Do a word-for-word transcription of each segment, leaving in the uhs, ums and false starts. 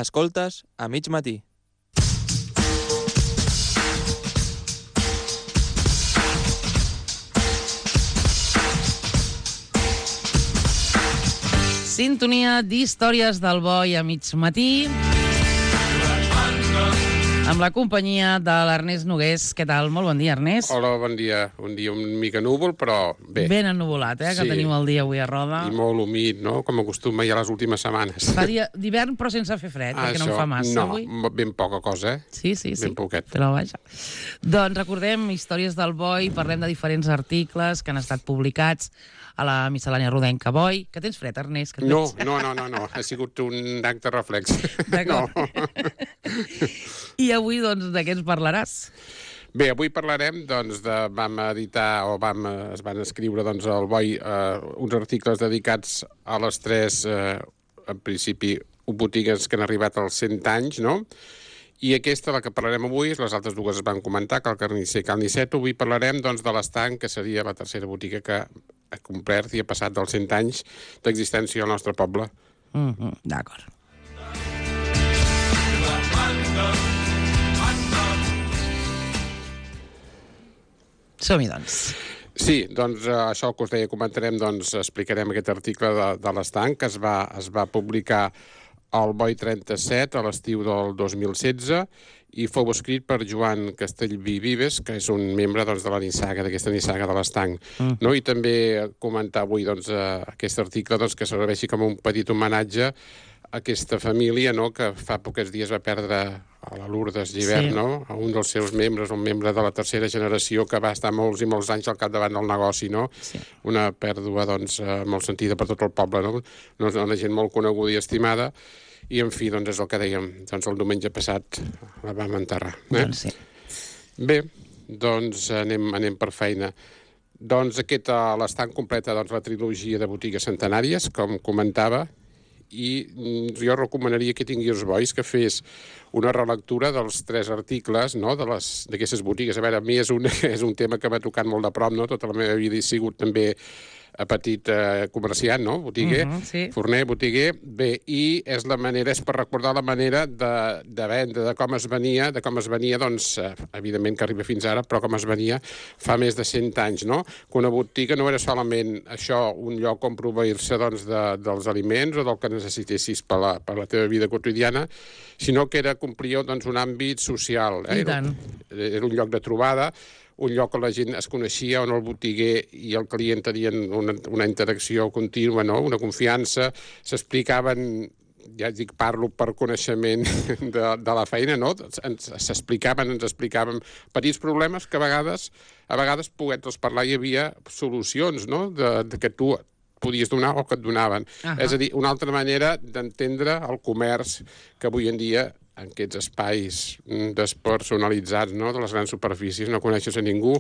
Escoltes a mig matí. Sintonia d'històries del Boi a mig matí, amb la companyia de l'Ernest Nogués. Què tal? Molt bon dia, Ernest. Hola, bon dia. Un dia una mica núvol, però bé. Ben ennuvolat, eh, que Sí. tenim el dia avui a Roda. I molt humit, no?, com acostuma ja les últimes setmanes. Fa dia d'hivern, però sense fer fred, perquè no en fa massa no, avui. No, ben poca cosa, eh? Sí, sí, sí. Ben poquet. Però vaja. Doncs recordem històries del Boi, parlem de diferents articles que han estat publicats a la miscel·lània rodenca Boi. Que tens fred, Ernest? Que et No, veig. no, no, no, no. Ha sigut un acte reflex. D'acord. No. I avui, doncs, de què ens parlaràs? Bé, avui parlarem, doncs, de, vam editar, o vam, eh, es van escriure, doncs, al Boi, eh, uns articles dedicats a les tres, eh, en principi, botigues que han arribat als cent anys, no?, i aquesta, la que parlarem avui, les altres dues es van comentar, que el Carnisser i Cal Niceto. Avui parlarem, doncs, de l'Estanc, que seria la tercera botiga que ha complert i ha passat dels cent anys d'existència al nostre poble. Mm-hmm, d'acord. Som-hi, doncs. Sí, doncs eh, això que us deia, comentarem, doncs explicarem aquest article de, de l'Estanc, que es va, es va publicar al Boi trenta-set a l'estiu del dos mil setze i fou escrit per Joan Castellví Vives, que és un membre, doncs, de la nissaga, d'aquesta nissaga de l'Estanc. Mm. No? I també comentar avui, doncs, eh, aquest article, doncs, que serveixi com un petit homenatge a aquesta família, no?, que fa pocs dies va perdre a la Lourdes Llibert, Sí. no?, a un dels seus membres, un membre de la tercera generació que va estar molts i molts anys al capdavant del negoci, no? Sí. Una pèrdua, doncs, eh, molt sentida per tot el poble, no? No és una gent molt coneguda i estimada, i, en fi, doncs és el que dèiem, doncs el diumenge passat la vam enterrar. Eh? Doncs sí. Bé, doncs anem, anem per feina. Doncs aquest, a l'Estanc completa, doncs, la trilogia de botigues centenàries, com comentava, i jo recomanaria que tingués Bois que fes una relectura dels tres articles, no?, de les d'aquestes botigues. A veure, a mi és un, és un tema que m'ha tocat molt de prop, no?, tota la meva vida he sigut també a petit eh, comerciant, no?, botiguer, Mhm, sí. forner, botiguer. Bé, i és la manera, és per recordar la manera de, de vendre, de com es venia, de com es venia, doncs, eh, evidentment que arriba fins ara, però com es venia fa més de cent anys, no?, que una botiga no era solament això, un lloc on proveir-se, doncs, de, dels aliments o del que necessitessis per la, per la teva vida quotidiana, sinó que era complir, doncs, un àmbit social. Eh? I tant. Era, era un lloc de trobada, un lloc on la gent es coneixia, on el botiguer i el client tenien una, una interacció contínua, no?, una confiança, s'explicaven, ja dic, parlo per coneixement de, de la feina, no?, ens s'explicaven, ens explicaven petits problemes que a vegades, a vegades poguent-los parlar hi havia solucions, no?, de, de que tu podies donar o que et donaven. Ahà. És a dir, una altra manera d'entendre el comerç que avui en dia en aquests espais despersonalitzats, no?, de les grans superfícies, no coneixes a ningú.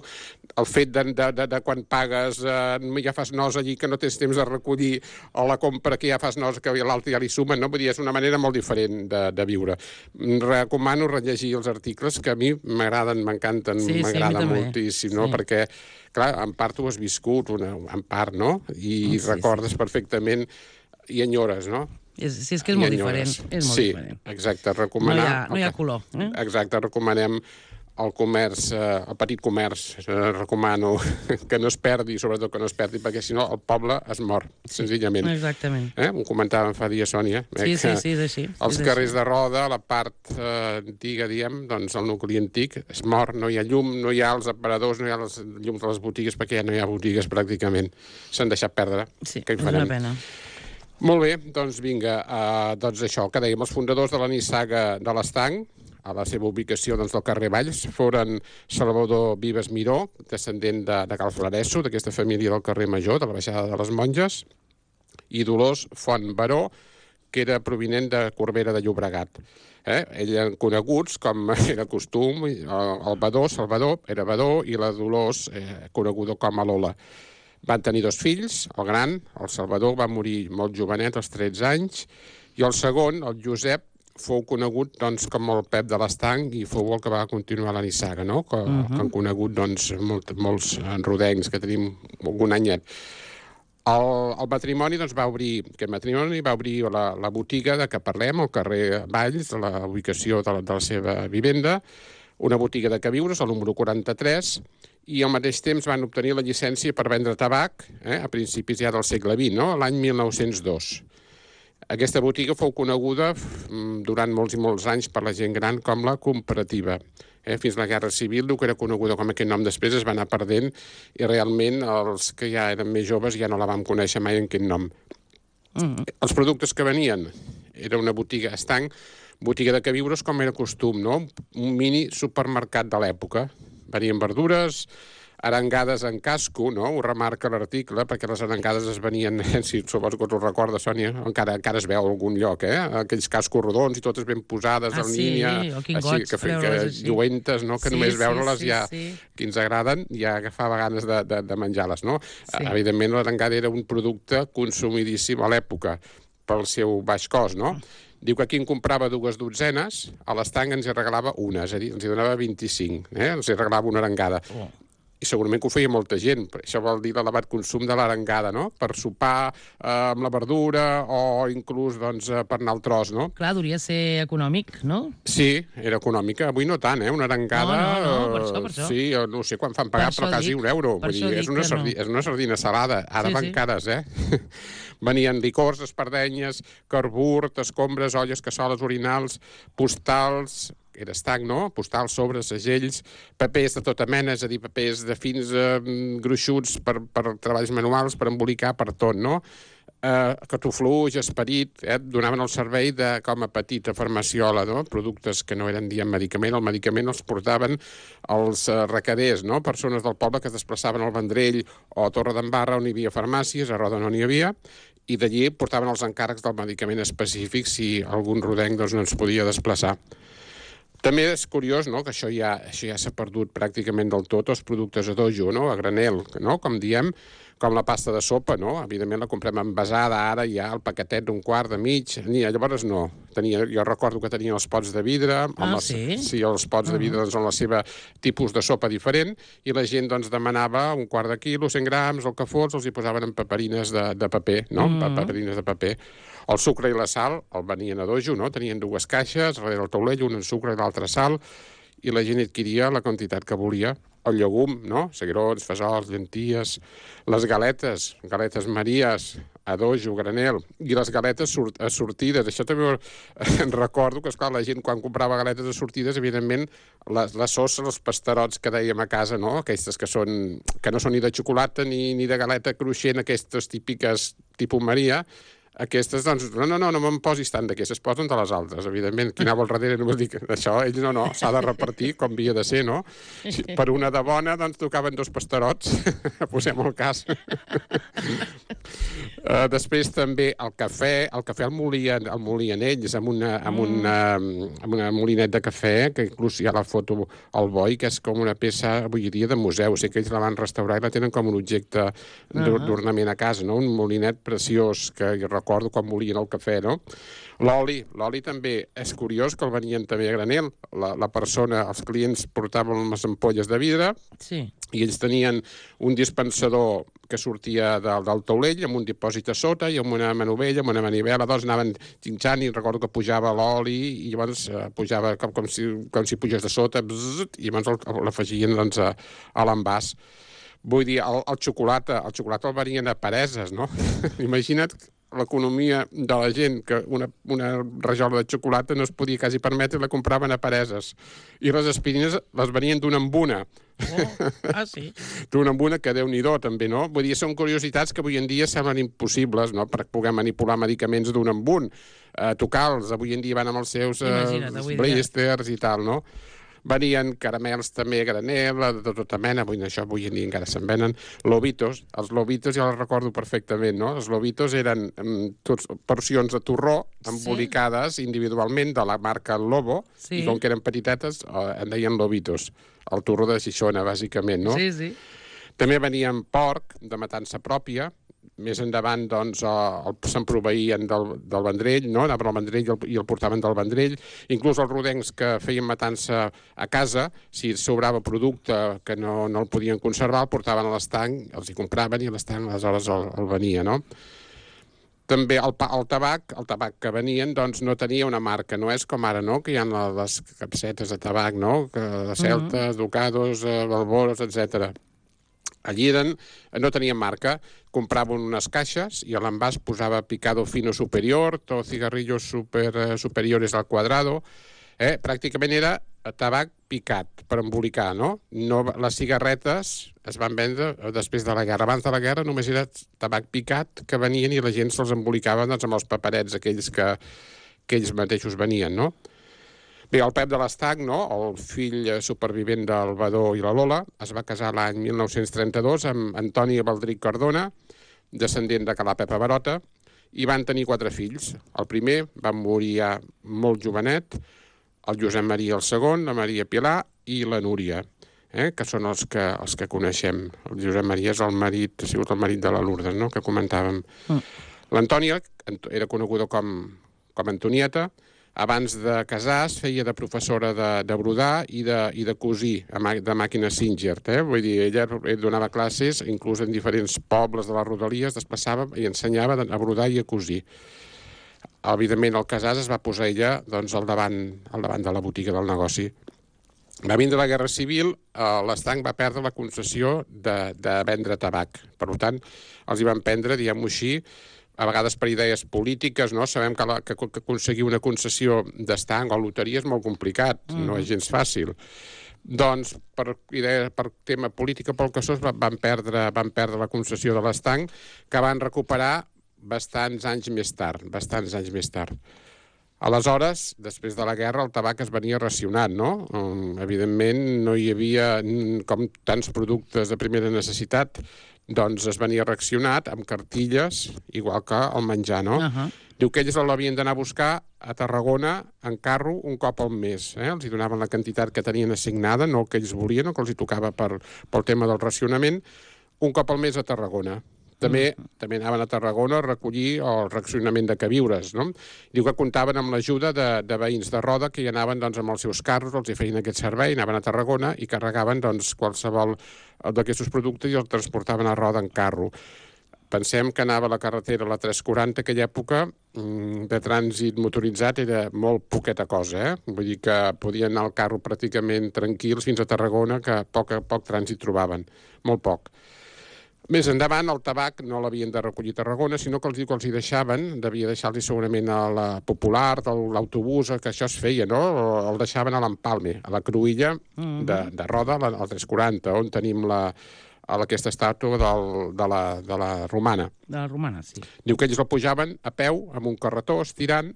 El fet de, de, de, de quan pagues eh, ja fas nosa allí que no tens temps de recollir, o la compra que ja fas nosa que l'altre ja li sumen, no? Vull dir, és una manera molt diferent de, de viure. Recomano rellegir els articles que a mi m'agraden, m'encanten, Sí, sí, a mi m'agraden també. moltíssim, no? Sí. Perquè, clar, en part ho has viscut, una, en part, no? I Sí, sí. recordes perfectament i enyores, no? És, sí, és que és I molt enyores. diferent. És molt sí, diferent. exacte, No hi recomanar... ha, no hi ha color. Eh? Exacte, recomanem el comerç, eh, el petit comerç, eh, recomano que no es perdi, sobretot que no es perdi, perquè si no el poble es mor, senzillament. Exactament. Eh? Ho comentàvem fa dies, Sònia. Eh? Sí, sí, que sí, és així. Els és carrers així. de Roda, la part eh, antiga, diem, doncs el nucli antic, es mor, no hi ha llum, no hi ha els aparadors, no hi ha els llums de les botigues, perquè ja no hi ha botigues pràcticament. S'han deixat perdre. Sí, Què hi és una farem? pena. Molt bé, doncs vinga, uh, doncs això, que dèiem, els fundadors de la nissaga de l'Estanc, a la seva ubicació doncs, del carrer Valls, foren Salvador Vives Miró, descendent de, de Cal Flaresso, d'aquesta família del carrer Major, de la baixada de les Monges, i Dolors Font Baró, que era provinent de Corbera de Llobregat. Eh? Ells eren coneguts, com era costum, el, el Badó, Salvador, era Badó, i la Dolors, eh, coneguda com a Lola. Van tenir dos fills, el gran, el Salvador, va morir molt jovenet, als tretze anys, i el segon, el Josep, fou conegut doncs, com el Pep de l'Estanc i fou el que va continuar la nissaga, no? que, uh -huh. que han conegut doncs, molt, molts rodencs que tenim algun anyet. El, el matrimoni doncs, va obrir, aquest matrimoni va obrir la, la botiga de què parlem, al carrer Valls, de la ubicació de la, de la seva vivenda, una botiga de queviures, el número quaranta-tres, i al mateix temps van obtenir la llicència per vendre tabac, eh, a principis ja del segle vint, no? L'any mil nou-cents dos. Aquesta botiga fou coneguda durant molts i molts anys per la gent gran com la Comparativa. Eh, fins a la Guerra Civil, el que era coneguda com aquest nom després es va anar perdent i realment els que ja eren més joves ja no la vam conèixer mai en aquest nom. Mm. Els productes que venien era una botiga estanc, botiga de queviures com era costum, no? Un mini supermercat de l'època. Venien verdures, arengades en casco, no? Ho remarca l'article, perquè les arengades es venien, si suposo que us ho recorda, Sònia, encara, encara es veu a algun lloc, eh? Aquells cascos rodons i totes ben posades ah, en sí, línia, quingots, així, que, que lluentes, no? Que sí, només veure-les sí, ja, sí. que ens agraden, ja agafava ganes de, de, de menjar-les, no? Sí. Evidentment, l'arengada era un producte consumidíssim a l'època, pel seu baix cost, no? Diu que qui en comprava dues dotzenes, a l'estanc ens hi regalava una, és a dir, ens hi donava vint-i-cinc, eh? Ens hi regalava una arengada. Oh. I segurament que ho feia molta gent. Això vol dir l'elevat consum de l'arengada, no? Per sopar eh, amb la verdura o inclús doncs, per anar al tros, no? Clar, hauria ser econòmic, no? Sí, era econòmica. Avui no tant, eh? Una arengada... No, no, no, per això, per això. Sí, no sé quan fan pagar, per però quasi dic, un euro. Vull dir, és, una sardi... no. és una sardina salada. Ara sí, van sí. cares, eh? Venien licors, espardenyes, carburt, escombres, olles, cassoles, orinals, postals... era estanc, no? Postals, sobres, segells, papers de tota mena, és a dir, papers de fins eh, gruixuts per, per treballs manuals, per embolicar, per tot, no? Eh, catufluix, esperit, eh? Donaven el servei de, com a petita farmaciola, no? Productes que no eren dient medicament, el medicament els portaven els eh, recaders, no? Persones del poble que es desplaçaven al Vendrell o a Torredembarra, on hi havia farmàcies, a Roda no n'hi havia, i d'allí portaven els encàrrecs del medicament específic si algun rodenc doncs, no ens podia desplaçar. També és curiós, no?, que això ja, això ja s'ha perdut pràcticament del tot, els productes a dojo, no?, a granel, no?, com diem, com la pasta de sopa, no? Evidentment la comprem envasada, ara ja el paquetet d'un quart de mig, ni, llavors no. Tenia, jo recordo que tenien els pots de vidre, amb ah, les, sí? sí, els pots uh -huh. de vidre doncs, amb la seva tipus de sopa diferent, i la gent doncs, demanava un quart de quilo, cent grams, el que fos, els hi posaven en paperines de, de paper, no?, uh -huh. paperines de paper. El sucre i la sal el venien a dojo, no? Tenien dues caixes, darrere el taulell, una en sucre i l'altra sal, i la gent adquiria la quantitat que volia. El llegum, no? Seguirons, fesols, llenties, les galetes, galetes Maries, a dojo, granel, i les galetes sort sortides. Això també em recordo que, esclar, la gent quan comprava galetes assortides, evidentment, les, les sosses, els pasterots que dèiem a casa, no? Aquestes que, són, que no són ni de xocolata ni, ni de galeta cruixent, aquestes típiques tipus Maria. Aquestes, doncs, no, no, no, no me'n posis tant d'aquestes, es posen de les altres, evidentment. Qui anava al darrere no m'ho dic, això, ells no, no, s'ha de repartir com havia de ser, no? Si per una de bona, doncs, tocaven dos pasterots, posem el cas. uh, després també el cafè, el cafè el molien, el molien ells amb una, amb, una, amb una molinet de cafè, que inclús hi ha la foto al boi, que és com una peça, avui dia, de museu. O sigui que ells la van restaurar i la tenen com un objecte d'ornament a casa, no? Un molinet preciós, que jo recordo quan molien el cafè, no? L'oli, l'oli també és curiós, que el venien també a granel. La, la persona, els clients portaven les ampolles de vidre, sí, i ells tenien un dispensador que sortia del, del taulell amb un dipòsit a sota i amb una manovella, amb una manivela, doncs anaven xinxant i recordo que pujava l'oli i llavors uh, pujava com, com, si, com si pugés de sota, bzzzt, i llavors l'afegien doncs, a, a l'envàs. Vull dir, el, el xocolata, el xocolata el venien a pareses, no? Imagina't l'economia de la gent, que una, una rajola de xocolata no es podia quasi permetre, la compraven a pareses. I les aspirines les venien d'una en una. Oh, ah, sí? D'una en una, que Déu-n'hi-do, també, no? Vull dir, són curiositats que avui en dia semblen impossibles, no?, per poder manipular medicaments d'un en un. Uh, Tocar-los, avui en dia van amb els seus uh, blisters i tal, no? Venien caramels també a granel, de tota mena, avui, això avui en dia encara se'n venen. Lobitos, els lobitos ja els recordo perfectament, no? Els lobitos eren um, tots porcions de torró embolicades sí? individualment de la marca Lobo, sí? I com que eren petitetes, uh, en deien lobitos. El torró de Xixona, bàsicament, no? Sí, sí. També venien porc de matança pròpia, més endavant doncs, se'n proveïen del, del Vendrell, no? Anaven al Vendrell i el, i el portaven del Vendrell. Inclús els rodencs que feien matança a casa, si sobrava producte que no, no el podien conservar, el portaven a l'estanc, els hi compraven i l'estanc aleshores el, el venia, no? També el, el tabac, el tabac que venien, doncs no tenia una marca, no és com ara, no?, que hi ha les capsetes de tabac, no?, que de Celtas, mm-hmm. Ducados, Balboros, etcètera. Allí eren, no tenien marca, compraven unes caixes i a l'envàs posava picado fino superior o cigarrillos super, superiores al cuadrado. Eh? Pràcticament era tabac picat per embolicar, no? no? Les cigarretes es van vendre després de la guerra. Abans de la guerra només era tabac picat que venien i la gent se'ls embolicava doncs, amb els paperets aquells que, que ells mateixos venien, no? Bé, el Pep de l'Estanc, no? El fill supervivent del Badó i la Lola, es va casar l'any mil nou-cents trenta-dos amb Antoni Baldric Cardona, descendent de Calà Pepa Barota, i van tenir quatre fills. El primer va morir ja molt jovenet, el Josep Maria el segon, la Maria Pilar i la Núria, eh? que són els que, els que coneixem. El Josep Maria és el marit, ha sigut el marit de la Lourdes, no? que comentàvem. Mm. L'Antònia era coneguda com, com Antonieta. Abans de casar es feia de professora de, de brodar i de, i de cosir, de màquina Singer. Eh? Vull dir, ella donava classes, inclús en diferents pobles de les Rodalies, desplaçava i ensenyava a brodar i a cosir. Evidentment, el Casàs es va posar ella doncs, al, davant, al davant de la botiga del negoci. Va vindre la Guerra Civil, eh, l'Estanc va perdre la concessió de, de vendre tabac. Per tant, els hi van prendre, diguem-ho així, a vegades per idees polítiques, no? Sabem que, la, que, que aconseguir una concessió d'estanc o loteria és molt complicat, mm. no és gens fàcil. Doncs, per, idea, per tema política, pel que sos, van perdre, van perdre la concessió de l'estanc, que van recuperar bastants anys més tard, bastants anys més tard. Aleshores, després de la guerra, el tabac es venia racionat, no? Um, evidentment, no hi havia, com tants productes de primera necessitat, doncs es venia reaccionat amb cartilles, igual que el menjar, no? Uh-huh. Diu que ells l'havien d'anar a buscar a Tarragona en carro un cop al mes. Eh? Els hi donaven la quantitat que tenien assignada, no el que ells volien, o que els hi tocava per, pel tema del racionament, un cop al mes a Tarragona. També, mm. també anaven a Tarragona a recollir el racionament de queviures, no? Diu que comptaven amb l'ajuda de, de veïns de Roda que hi anaven doncs, amb els seus carros, els hi feien aquest servei, anaven a Tarragona i carregaven doncs, qualsevol d'aquests productes i els transportaven a Roda en carro. Pensem que anava a la carretera, la tres quaranta, aquella època de trànsit motoritzat era molt poqueta cosa, eh? Vull dir que podien anar al carro pràcticament tranquils fins a Tarragona, que poc, poc trànsit trobaven, molt poc. Més endavant, el tabac no l'havien de recollir a Tarragona, sinó que els, que els hi deixaven, devia deixar-los segurament a la Popular, a l'autobús, que això es feia, no? El deixaven a l'Empalme, a la Cruïlla mm-hmm. de, de Roda, al tres quaranta, on tenim la, aquesta estàtua del, de, la, de la Romana. De la Romana, sí. Diu que ells la pujaven a peu, amb un carretó, estirant,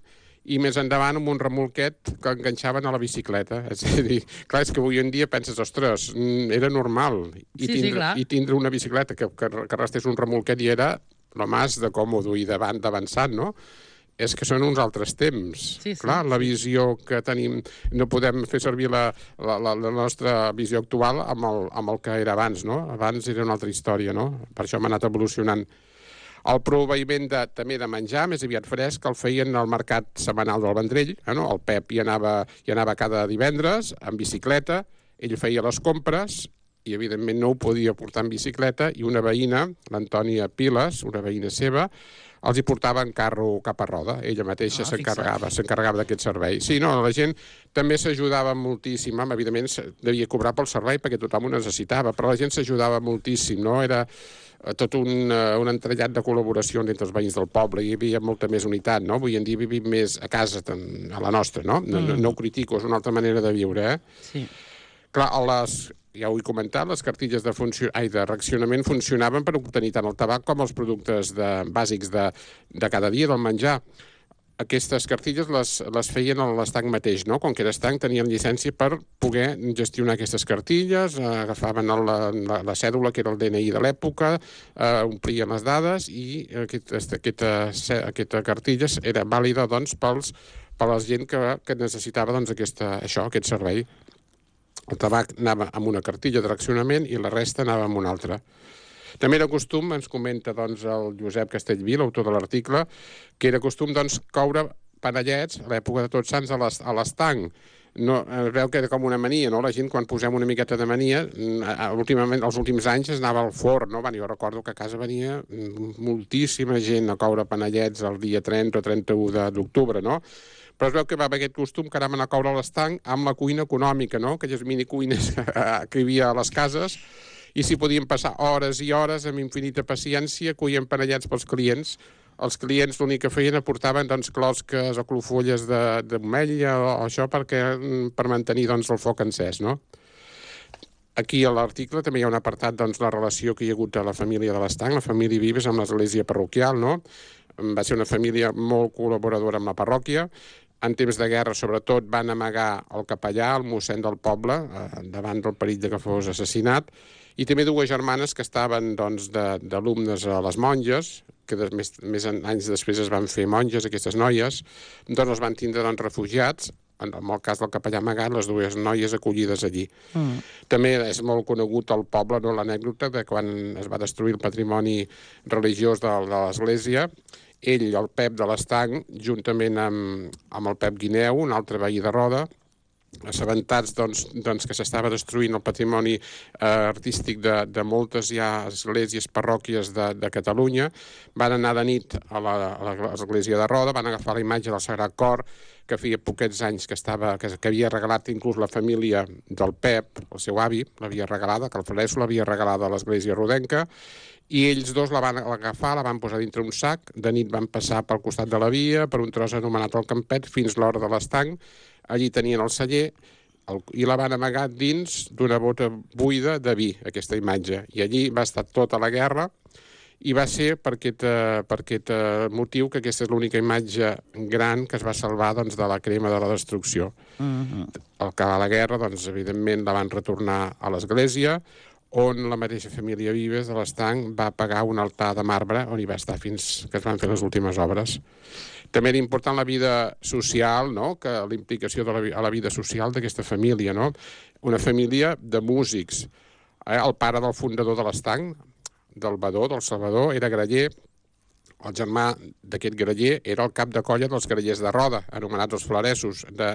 i més endavant amb un remolquet que enganxaven a la bicicleta. És a dir, clar, és que avui en dia penses, ostres, era normal. I, sí, tindre, sí, i tindre una bicicleta que, que, que restés un remolquet i era lo més de còmodo i d'avançat, no? És que són uns altres temps. Sí, sí, clar, la visió que tenim, no podem fer servir la, la, la, la nostra visió actual amb el, amb el que era abans, no? Abans era una altra història, no? Per això hem anat evolucionant. El proveïment de, també de menjar, més aviat fresc, el feien al mercat setmanal del Vendrell. Eh, no? El Pep hi anava, hi anava cada divendres en bicicleta, ell feia les compres i, evidentment, no ho podia portar en bicicleta, i una veïna, l'Antònia Piles, una veïna seva, els hi portava en carro cap a Roda. Ella mateixa ah, s'encarregava s'encarregava d'aquest servei. Sí, no, la gent també s'ajudava moltíssim. Evidentment, devia cobrar pel servei perquè tothom ho necessitava, però la gent s'ajudava moltíssim, no? Era tot un, un entrellat de col·laboració entre els veïns del poble, hi havia molta més unitat, no? Avui en dia vivim més a casa, a la nostra, no? No, no, no ho critico, és una altra manera de viure, eh? Sí. Clar, les, ja ho he comentat, les cartilles de, funcio... Ai, de reaccionament funcionaven per obtenir tant el tabac com els productes de, bàsics de, de cada dia, del menjar. Aquestes cartilles les, les feien a l'estanc mateix, no? Com que era estanc, tenien llicència per poder gestionar aquestes cartilles, eh, agafaven el, la, la cèdula, que era el D N I de l'època, eh, omplien les dades i aquest, aquesta, aquesta cartilla era vàlida doncs, pels, per la gent que, que necessitava doncs, aquesta, això, aquest servei. El tabac anava amb una cartilla de reaccionament i la resta anava amb una altra. També era costum, ens comenta doncs, el Josep Castellví, l'autor de l'article, que era costum doncs, coure panellets a l'època de Tots Sants a l'es- a l'estanc. No, es veu que era com una mania, no? La gent, quan posem una miqueta de mania, mm, últimament, els últims anys es anava al forn, no? Jo recordo que a casa venia mm, moltíssima gent a coure panellets el dia trenta o trenta-u de- d'octubre, no? Però es veu que va haver aquest costum que anàvem a anar a coure a l'estanc amb la cuina econòmica, no? Aquelles minicuines que hi havia a les cases, i s'hi podien passar hores i hores amb infinita paciència, cuient panellets pels clients. Els clients l'únic que feien aportaven doncs, closques o clofolles de, de motlla o, o això perquè, mm, per mantenir doncs, el foc encès, no? Aquí a l'article també hi ha un apartat doncs, la relació que hi ha hagut de la família de l'Estanc, la família Vives amb l'església parroquial, no? Va ser una família molt col·laboradora amb la parròquia. En temps de guerra, sobretot, van amagar el capellà, el mossèn del poble, eh, davant del perill de que fos assassinat, i també dues germanes que estaven doncs, de- d'alumnes a les monges, que des, més, més en- anys després es van fer monges, aquestes noies, doncs els van tindre doncs, refugiats, en, en el cas del capellà amagat, les dues noies acollides allí. Mm. També és molt conegut al poble, no, l'anècdota de quan es va destruir el patrimoni religiós de, de l'Església. Ell, el Pep de l'Estanc, juntament amb, amb el Pep Guineu, un altre veí de Roda, assabentats doncs, doncs, que s'estava destruint el patrimoni eh, artístic de, de moltes ja esglésies, parròquies de, de Catalunya, van anar de nit a la- a l'església de Roda, van agafar la imatge del Sagrat Cor, que feia poquets anys que, estava, que, que havia regalat inclús la família del Pep, el seu avi, l'havia regalada, que el Freso l'havia regalada a l'església rodenca, i ells dos la van agafar, la van posar dintre un sac, de nit van passar pel costat de la via, per un tros anomenat el Campet, fins l'hora de l'Estanc. Allí tenien el celler el, i la van amagar dins d'una bota buida de vi, aquesta imatge. I allí va estar tota la guerra, i va ser per aquest, eh, per aquest eh, motiu que aquesta és l'única imatge gran que es va salvar doncs, de la crema de la destrucció. Mm-hmm. Al acabar la guerra, doncs, evidentment, la van retornar a l'església, on la mateixa família Vives de l'Estanc va pagar un altar de marbre on hi va estar fins que es van fer les últimes obres. També era important la vida social, no? Que la implicació de la, vi- a la vida social d'aquesta família, no? Una família de músics. Eh? El pare del fundador de l'Estanc, del Badó, del Salvador, era graller. El germà d'aquest graller era el cap de colla dels grallers de Roda, anomenats els Floresos. De,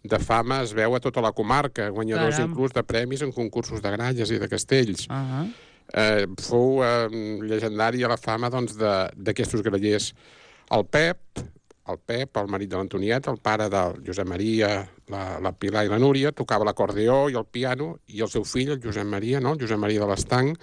de fama es veu a tota la comarca, guanyadors Caram. inclús de premis en concursos de gralles i de castells. Uh -huh. Eh, fou eh, llegendària la fama doncs, de- d'aquestos grallers. El Pep, el Pep, el marit de l'Antoniet, el pare del Josep Maria, la, la Pilar i la Núria, tocava l'acordeó i el piano, i el seu fill, el Josep Maria, no? el Josep Maria de l'Estanc,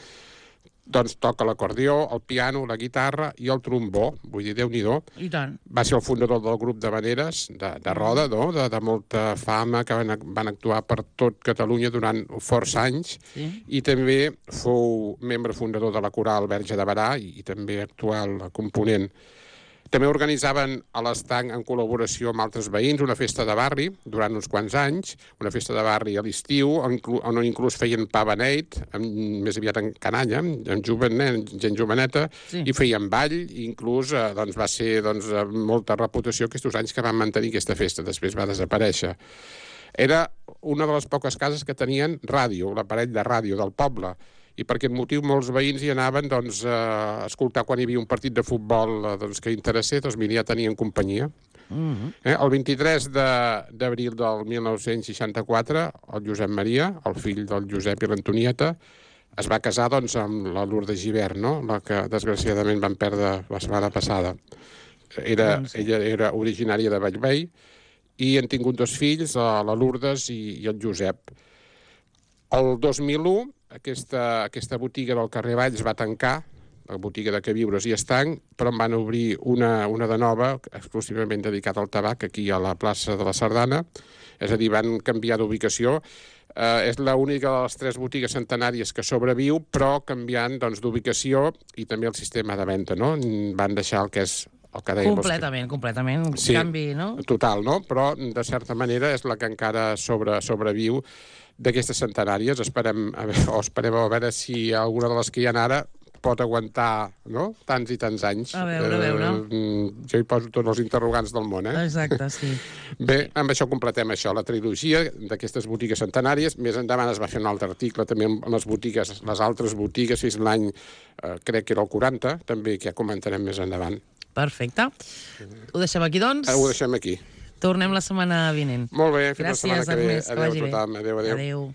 doncs toca l'acordió, el piano, la guitarra i el trombó. Vull dir, Déu-n'hi-do. I tant. Va ser el fundador del grup d'Havaneres, de, de Roda, no? de, de molta fama, que van, van actuar per tot Catalunya durant força anys. Sí. I també fou membre fundador de la coral Verge de Barà i, i també actual component. També organitzaven a l'Estanc, en col·laboració amb altres veïns, una festa de barri durant uns quants anys, una festa de barri a l'estiu, on, on inclús feien pa beneit, amb, més aviat en canalla, amb, amb jovenet, gent joveneta, Sí. i feien ball, i inclús eh, doncs, va ser doncs, eh, molta reputació aquests anys que van mantenir aquesta festa, després va desaparèixer. Era una de les poques cases que tenien ràdio, l'aparell de ràdio del poble, i per aquest motiu molts veïns hi anaven doncs, a escoltar quan hi havia un partit de futbol eh, doncs, que interessés, doncs mira, ja tenien companyia. Mm-hmm. Eh? El vint-i-tres d'abril del mil nou-cents seixanta-quatre, el Josep Maria, el fill del Josep i l'Antonieta, es va casar doncs, amb la Lourdes Givert, no? La que desgraciadament van perdre la setmana passada. Era, Doncs sí. ella era originària de Bellvei i han tingut dos fills, la la Lourdes i, i el Josep. El dos mil u, aquesta, aquesta botiga del carrer Valls va tancar, la botiga de queviures i estanc, però en van obrir una, una de nova, exclusivament dedicada al tabac, aquí a la plaça de la Sardana. És a dir, van canviar d'ubicació. Eh, és l'única de les tres botigues centenàries que sobreviu, però canviant doncs, d'ubicació i també el sistema de venda, no? Van deixar el que és el que dèiem... Completament, completament. Un Sí. canvi, no? Total, no? Però, de certa manera, és la que encara sobre, sobreviu d'aquestes centenàries. Esperem, a veure, o esperem a veure si alguna de les que hi ha ara pot aguantar, no?, tants i tants anys. A veure, a veure. Eh, jo hi poso tots els interrogants del món, eh? Exacte, sí. Bé, amb això completem això, la trilogia d'aquestes botigues centenàries. Més endavant es va fer un altre article també amb les botigues, les altres botigues, fins l'any, eh, crec que era el quaranta, també, que ja comentarem més endavant. Perfecte. Ho deixem aquí, doncs? Ho deixem aquí. Tornem la setmana vinent. Molt bé, fins Gràcies, la setmana que ve. Ernest, que Adéu vagi a bé. tothom. Adéu, adéu. Adéu.